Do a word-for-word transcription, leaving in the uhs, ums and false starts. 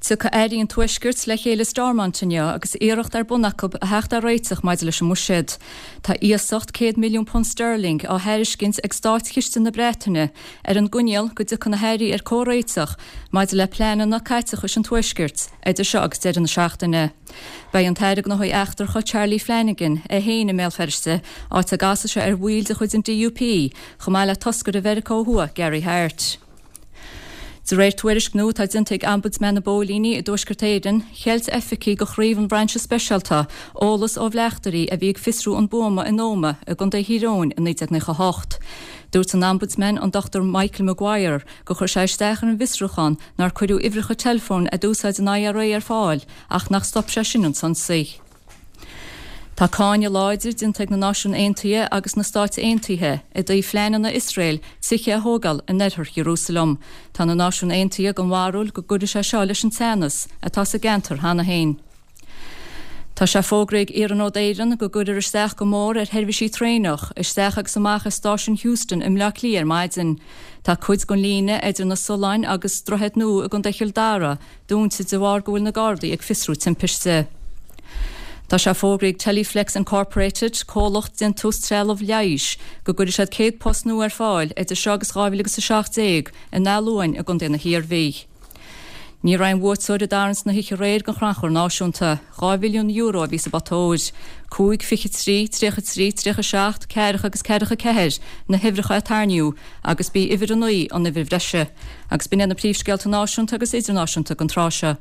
Tiocfaidh Airí an Tuaiscirt le chéile Stormont inniu agus iarracht ar bun acu a theacht ar réiteach maidir leis an mbuiséad. Tá iasacht céad milliún punt sterling á thairiscint ag Státchiste na Breataine ar an gcoinníoll go dtiocfaidh na hairí ar comhréiteach maidir le pleananna caiteachais an Tuaiscirt idir seo agus deireadh na seachtaine. Beidh an tAire Gnóthaí Eachtracha Charlie Flanagan é féin i mBéal Feirste áit a gcasfaidh sé ar bhaill de chuid an DUP chomh maith le toscaire Mheiriceá Thuaidh Gary Hart. De réir tuairisc nua atá déanta ag Ombudsman na bPóilíní i dTuaisceart Éireann, cheilt oifigigh de chraobh an Bhrainse Speisialta eolas ó bhleachtairí a bhí ag fiosrú an buama in Ómaigh i gContae Thír Eoghain i naoi déag nócha hocht. Dúirt an Ombudsman an Dr Michael Maguire gur chuir sé isteach ar an bhfiosrúchán nár cuireadh uimhreacha teileafóin a d'úsáid an IRA ar fáil ach nach stop sé sin an t-ionsaí. Tá cáineadh láidir déanta ag na Náisiúin Aontaithe agus na Stáit Aontaithe i dtaobh phleananna Iosrael tithe a thógáil in oirthear Ierúsalem. Tá na Náisiúin Aontaithe den bharúil go gcuirfidh sé seo leis an teannas atá sa gceantar cheana féin. Tá sé fógraithe ag Iarnród Éireann go gcuirfear isteach go mór ar sheirbhísí traenach, isteach agus amach as stáisiún Heuston i mBleá Cliath ar maidin. Tá cuid den líne idir na Solláin agus Droichead Nua i gContae Chill Dara dúnta de bharr go bhfuil na Gardaí ag fiosrú timpiste. Tá sé fógraithe ag Teleflex Incorporated, comhlacht déantús trealamh leighis, go gcuirfidh siad céad post nua ar fáil idir seo agus dhá mhíle agus a seacht déag in Áth Luain i gContae na hIarmhí. Ní raibh aon bhuaiteoir i dtarraingt na hoíche aréir don Chrannchur Náisiúnta. Dhá mhilliún euro a bhí sa bpota óir. Cúig, fiche trí, tríocha trí, tríocha seacht, ceathracha agus ceathracha ceathair na huimhreacha a tarraingíodh agus b'í uimhir a naoi an uimhir bhreise. Agus b'in iad na príomhscéalta náisiúnta agus idirnáisiúnta don tráth seo.